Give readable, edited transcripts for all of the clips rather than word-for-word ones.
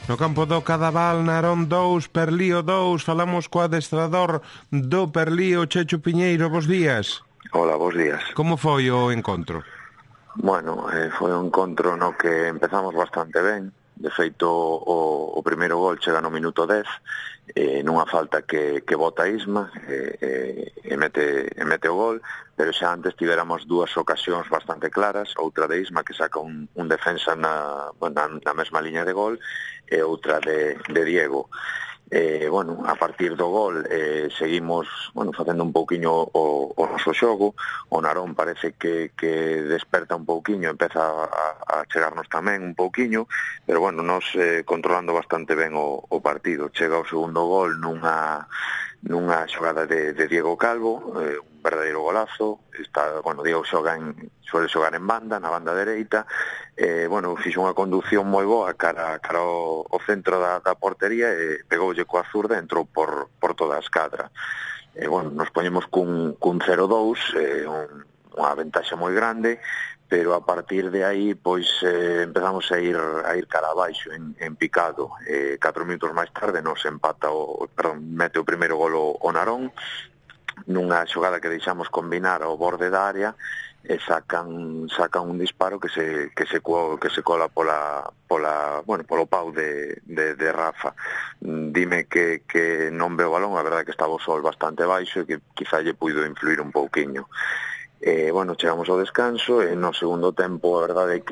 No campo do Cadaval, Narón 2, Perlío 2, falamos co adestrador do Perlío, Checho Piñeiro, bos días. Hola, bos días. Como foi o encontro? Bueno, foi un encontro no que empezamos bastante ben. De feito, o primeiro gol chega no minuto 10, nunha falta que bota Isma, e mete o gol, pero xa antes tiveramos dúas ocasións bastante claras, outra de Isma que saca un defensa na mesma liña de gol, e outra de Diego. A partir do gol seguimos facendo un pouquiño o noso xogo. O Narón parece que desperta un pouquiño, empeza a chegarnos tamén un pouquiño, pero nos controlando bastante ben o partido. Chega o segundo gol nunha xogada de Diego Calvo, un verdadeiro golazo. Diego suele xogar en banda, na banda dereita, fixo unha conducción moi boa cara ao centro da portería e pegoulle coa zurda e entrou por toda a escadra. Nos poñemos cun 0-2, unha ventaxa moi grande, pero a partir de aí empezamos a ir cara abaixo en picado. 4 minutos máis tarde mete o primeiro gol o Narón nunha xogada que deixamos combinar ao borde da área e sacan un disparo que se cola polo pau de Rafa. Dime que non veo o balón, a verdade que estaba o sol bastante baixo e que quizá lle puido influir un pouquiño. Chegamos ao descanso e no segundo tempo a verdade é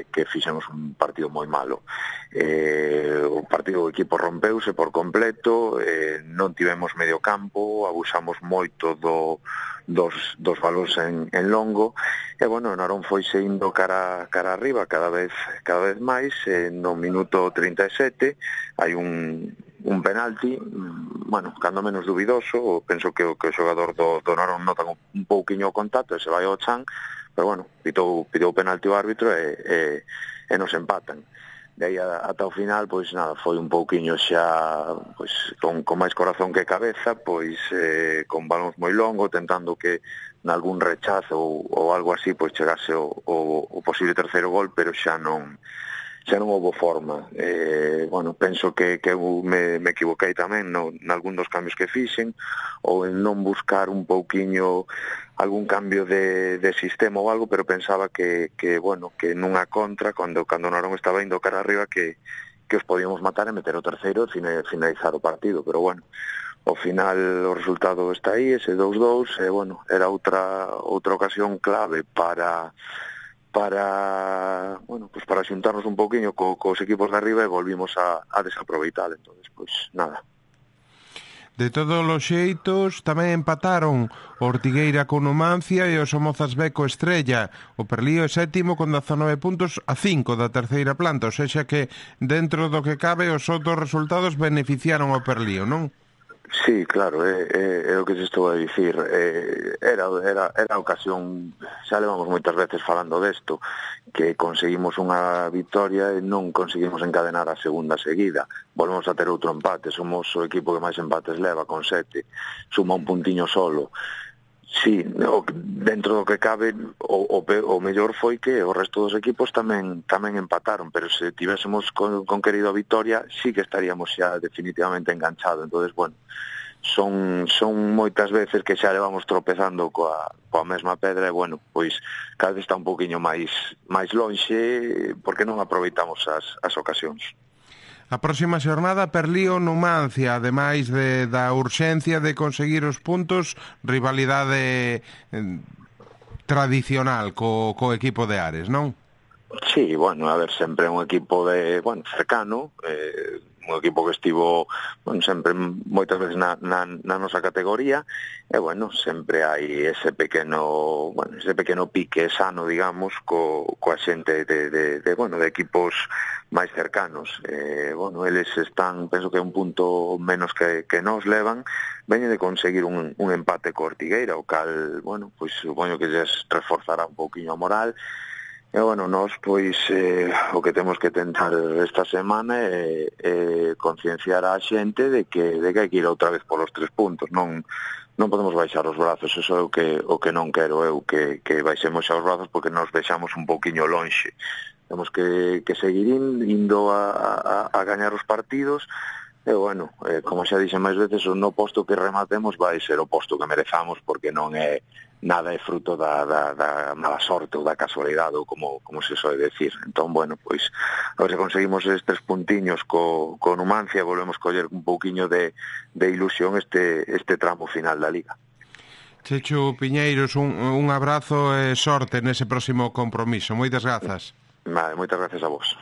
que fixemos un partido moi malo. O equipo rompeuse por completo, non tivemos medio campo, abusamos moito dos balóns en longo e o Narón foi indo cara arriba cada vez máis. No minuto 37 hai un penalti, cando menos dubidoso. Penso que o xogador do Narón nota un pouquiño o contacto e se vai ao chan, pero pitou penalti o árbitro e nos empatan. De aí ata o final, foi un pouquiño xa con máis corazón que cabeza, con balóns moi longo, tentando que nalgún rechazo ou algo así chegase o posible terceiro gol, pero xa non houve forma. Penso que me equivoquei tamén nalgún dos cambios que fixen, ou en non buscar un pouquiño algún cambio de sistema ou algo, pero pensaba que nunha contra, cando o Narón estaba indo cara arriba, que os podíamos matar e meter o terceiro e finalizar o partido. Pero ao final o resultado está aí, ese 2-2, era outra ocasión clave para xuntarnos un pouquiño cos equipos de arriba e volvimos a desaproveitar. Entonces, nada. De todos os xeitos, tamén empataron o Ortigueira con Numancia e o Somozas B co Estrella. O Perlío é sétimo con 19 puntos a 5 da terceira planta, ou sexa que dentro do que cabe os outros resultados beneficiaron ao Perlío, non? Sí, claro, é o que se estou a dicir. Era a ocasión, xa levamos moitas veces falando desto, que conseguimos unha victoria e non conseguimos encadenar a segunda seguida. Volvemos a ter outro empate, somos o equipo que máis empates leva, con 7, suma un puntiño solo. Sí, dentro do que cabe, o mellor foi que o resto dos equipos tamén empataron, pero se tivésemos conquerido a victoria, sí que estaríamos xa definitivamente enganchados. Entonces, son moitas veces que xa levamos tropezando coa mesma pedra e, cada vez está un poquinho máis lonxe porque non aproveitamos as ocasións. A próxima xornada, Perlío Numancia, ademais da urxencia de conseguir os puntos, rivalidade tradicional co equipo de Ares, non? Sí, sempre un equipo cercano, un equipo que estivo sempre moitas veces na nosa categoría e sempre hai ese pequeno pique sano, digamos, coa xente de equipos máis cercanos. Eles están, penso que un punto menos que nos levan, veñen de conseguir un empate co Ortigueira, o cal, supoño que lles reforzará un pouquiño a moral. E, nós, o que temos que tentar esta semana é concienciar a xente de que hai que ir outra vez polos 3 puntos. Non podemos baixar os brazos, eso é o que non quero eu, que baixemos xa os brazos porque nos vexamos un pouquiño lonxe. temos que seguir indo a gañar os partidos. E, bueno, como xa dixen máis veces, o no posto que rematemos vai ser o posto que merezamos, porque non é nada é fruto da mala sorte ou da casualidade, ou como se soe decir. Entón, bueno, pois, a ver se conseguimos estes puntiños co Numancia, volvemos coller un pouquiño de ilusión este tramo final da Liga. Chechu Piñeiros, un abrazo e sorte nese próximo compromiso. Moitas grazas. Vale, moitas gracias a vos.